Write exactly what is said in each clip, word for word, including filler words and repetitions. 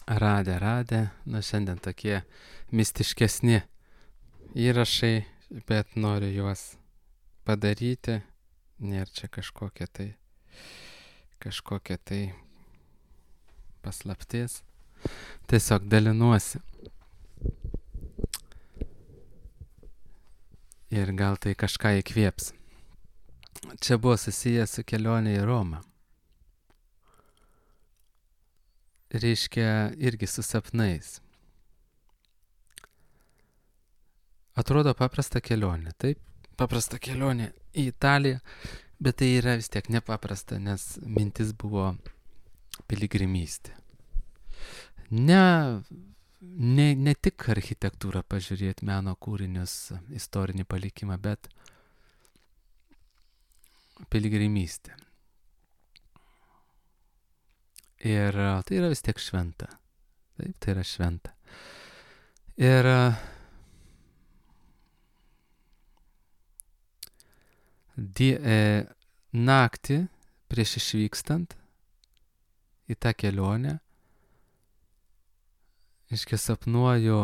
Radę, radę. Nu, šiandien tokie mistiškesni įrašai, bet noriu juos padaryti. Nėra čia kažkokia tai, kažkokia tai paslaptis. Tiesiog dalinuosi. Ir gal tai kažką įkvėps. Čia buvo susijęs su kelionė į Romą. Reiškia irgi su sapnais. Atrodo paprasta kelionė, taip? Paprasta kelionė į Italiją, bet tai yra vis tiek nepaprasta, nes mintis buvo piligrimystė. Ne, ne, ne tik architektūrą pažiūrėti, meno kūrinius, istorinį palikimą, bet piligrimystė. Ir tai yra vis tiek šventa. Taip, tai yra šventa. Ir die, e, naktį prieš išvykstant į tą kelionę, iškia sapnuoju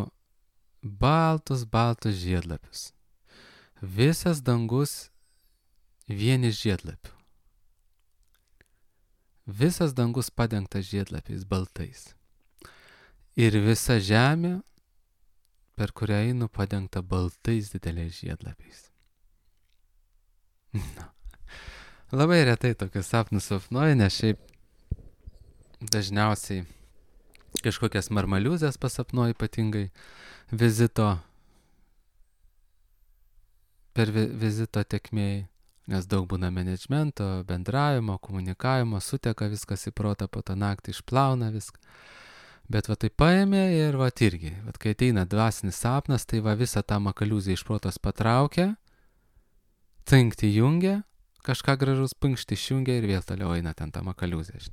baltus, baltus žiedlapius. Visas dangus vieni žiedlapių. Visas dangus padengtas žiedlapiais baltais. Ir visa žemė, per kurią einu, padengta baltais dideliais žiedlapiais. Na. Labai retai tokius sapnus sapnuoju, nes šiaip dažniausiai kažkokias marmaliuzės pasapnuoju, ypatingai vizito, per vi, vizito tekmėj. Nes daug būna menedžmento, bendravimo, komunikavimo, suteka viskas į protą, po tą naktį išplauna viską. Bet va tai paėmė ir va irgi, va kai ateina dvasinis sapnas, tai va visą tą makaliuzę iš protos patraukia, cinkti jungia, kažką gražus pinkšti išjungia ir vėl toliau eina ten tą makaliuzę.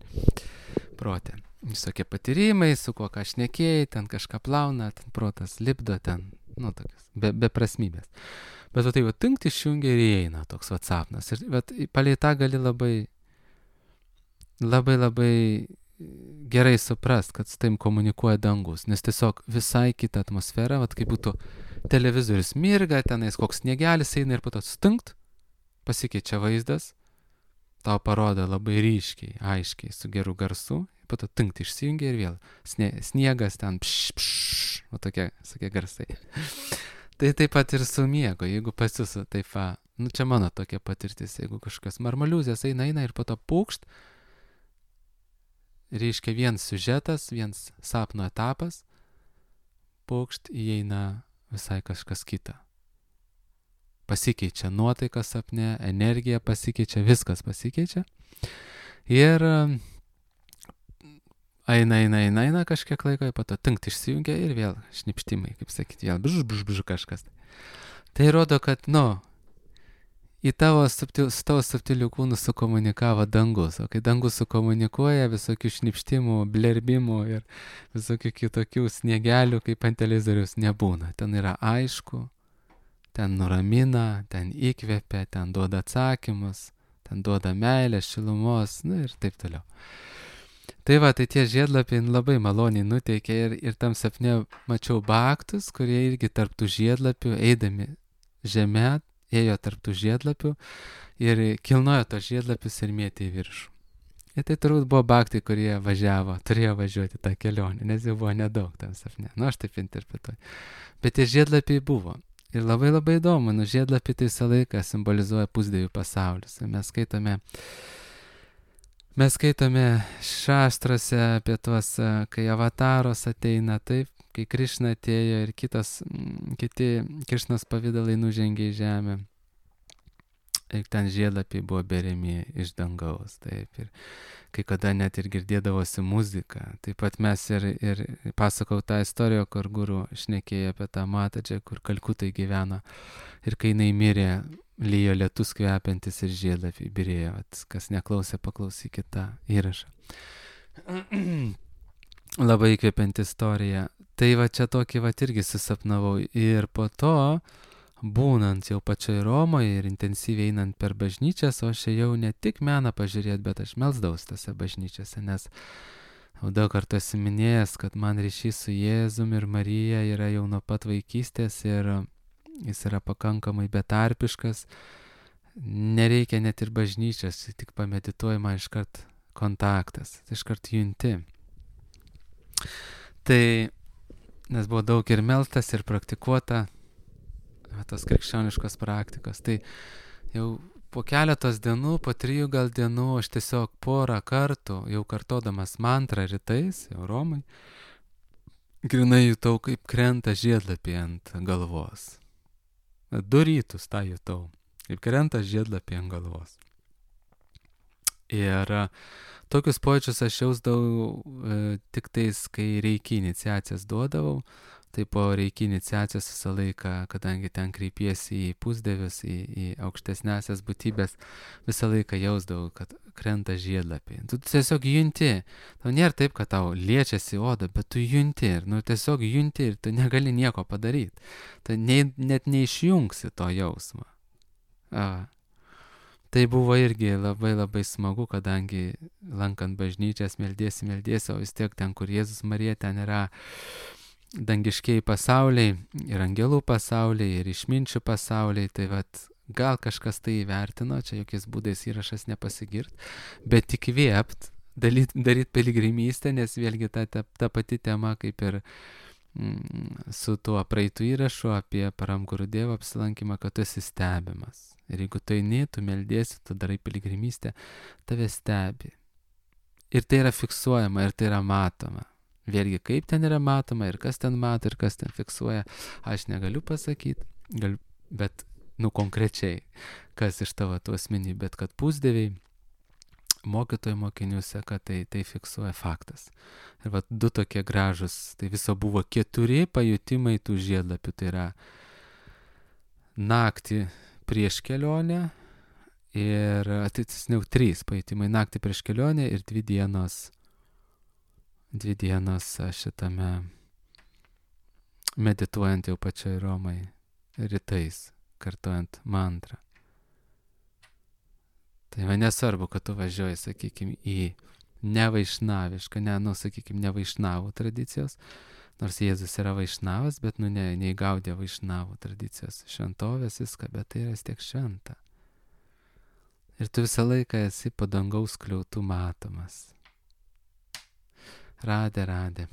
Protė. Visokie patyrimai, su kuo ką šnekėjai, ten kažką plauna, ten protas lipdo, ten, nu tokias, be, be prasmybės. Bet va tai va tinkt išjungia ir įeina toks va sapnas. Ir bet palei tą gali labai, labai, labai gerai suprast, kad su taim komunikuoja dangus. Nes tiesiog visai kita atmosfera, va kaip būtų televizorius mirga, tenais koks sniegelis eina ir po to stinkt, pasikeičia vaizdas, tau parodo labai ryškiai, aiškiai, su geru garsu, po to tinkt išsijungia ir vėl snie, sniegas ten pš, pš, va tokie, tokie garsai. Tai taip pat ir su miego, jeigu pas jūs taip va, nu čia mano tokia patirtis, jeigu kažkas marmaliuzės eina, eina ir po to pūkšt, reiškia viens siužetas, viens sapno etapas, pūkšt įeina visai kažkas kita. Pasikeičia nuotaika sapne, energija pasikeičia, viskas pasikeičia. Ir eina, eina, eina, eina kažkiek laiko, po to tinkt išsijungia ir vėl šnipštimai, kaip sakyti, vėl bžž, bžž, bžž kažkas. Tai rodo, kad, nu, į tavo, subtil, tavo subtilių kūnų sukomunikavo dangus, o kai dangus sukomunikuoja, visokių šnipštimų, blerbimų ir visokių kitokių sniegelių, kaip ant televizoriaus nebūna. Ten yra aišku, ten nuramina, ten įkvepia, ten duoda atsakymus, ten duoda meilės, šilumos, nu ir taip toliau. Tai va, tai tie žiedlapiai labai maloniai nuteikė ir, ir tam sapne mačiau baktus, kurie irgi tarptų žiedlapių, eidami žemė, ėjo tarptų žiedlapių ir kilnojo tos žiedlapius ir mėtė į viršų. Ir tai turbūt buvo baktai, kurie važiavo, turėjo važiuoti tą kelionę, nes jau buvo nedaug tam sapne. Nu, aš taip interpretuoju. Bet tie žiedlapiai buvo. Ir labai labai įdomu, nu žiedlapiai tai visą laiką simbolizuoja pusdievių pasaulius. Ir mes skaitome Mes skaitome šastrose apie tuos, kai avataros ateina, taip, kai Krišna atėjo ir kitas, kiti Krišnos pavydalai nužengė į žemę. Ir ten žiedlapiai buvo beriami iš dangaus, taip. Ir kai kada net ir girdėdavosi muzika. Taip pat mes ir, ir pasakau tą istoriją, kur guru šnekėjo apie tą Matadžę, kur Kalkutai gyveno. Ir kai jinai mirė, lyjo lietus kvepiantis ir žiedlapiai birėjo. Kas neklausė, paklausykit tą įrašą. Labai įkvepianti istorija. Tai va čia tokį va irgi susapnavau. Ir po to, būnant jau pačioj Romoje ir intensyviai einant per bažnyčias, o aš ėjau ne tik meną pažiūrėti, bet aš melsdavaus tose bažnyčiose, nes Jau daug kartų esi minėjęs, kad man ryšys su Jėzum ir Marija yra jau nuo pat vaikystės ir jis yra pakankamai betarpiškas. Nereikia net ir bažnyčios, tik pamedituoji man iškart kontaktas, iškart junti. Tai, nes buvo daug ir melstas, ir praktikuota tos krikščioniškos praktikos. Tai jau po keletos dienų, po trijų gal dienų, aš tiesiog porą kartų, jau kartodamas mantrą rytais, jau Romai, grinai jutau, kaip krenta žiedlapiai ant galvos. Du rytus tą jutau, kaip krenta žiedlapiai ant galvos. Ir tokius pojūčius aš jausdavau e, tik tais, kai reiki iniciacijas duodavau. Tai po reiki iniciacijos visą laiką, kadangi ten kreipiesi į pusdievius, į, į aukštesnesias būtybės, visą laiką jausdavau, kad krenta žiedlapiai. Tu tiesiog junti. Tau nėra taip, kad tau liečiasi oda, bet tu junti ir nu, tiesiog junti ir tu negali nieko padaryti. Tai ne, net neišjungsi to jausmo. A. Tai buvo irgi labai labai smagu, kadangi lankant bažnyčias meldiesi, meldiesi, o vis tiek ten, kur Jėzus Marija, ten yra dangiškiai pasauliai ir angelų pasauliai ir išminčių pasauliai, tai vat gal kažkas tai įvertino, čia jokiais būdais įrašas nepasigirt, bet įkvėpt, daryt, daryt piligrimystę, nes vėlgi ta, ta, ta pati tema kaip ir mm, su tuo praeitų įrašu apie Paramguru Dievo apsilankymą, kad tu esi stebimas. Ir jeigu tu eini, tu meldiesi, tu darai piligrimystę, tave stebi. Ir tai yra fiksuojama, ir tai yra matoma. Vėlgi, kaip ten yra matoma ir kas ten mato ir kas ten fiksuoja, aš negaliu pasakyti, galiu, bet, nu, konkrečiai, kas iš tavo tų asmenį, bet kad pusdieviai, mokytojų mokiniuose, kad tai, tai fiksuoja faktas. Ir vat du tokie gražus, tai viso buvo keturi pajutimai tų žiedlapių, tai yra naktį prieš kelionę ir, atitisniau, trys pajutimai, naktį prieš kelionę ir dvi dienos Dvi dienos šitame medituojant jau pačioj Romai rytais, kartuojant mantrą. Tai man nesvarbu, kad tu važiuoji, sakykime, į nevaišnavišką, ne, nu, sakykime, nevaišnavų tradicijos, nors Jėzus yra vaišnavas, bet, nu, ne, neįgaudė vaišnavų tradicijos šventovės viską, bet tai yra vis tiek šventa. Ir tu visą laiką esi po dangaus skliautų matomas. Radė, radė.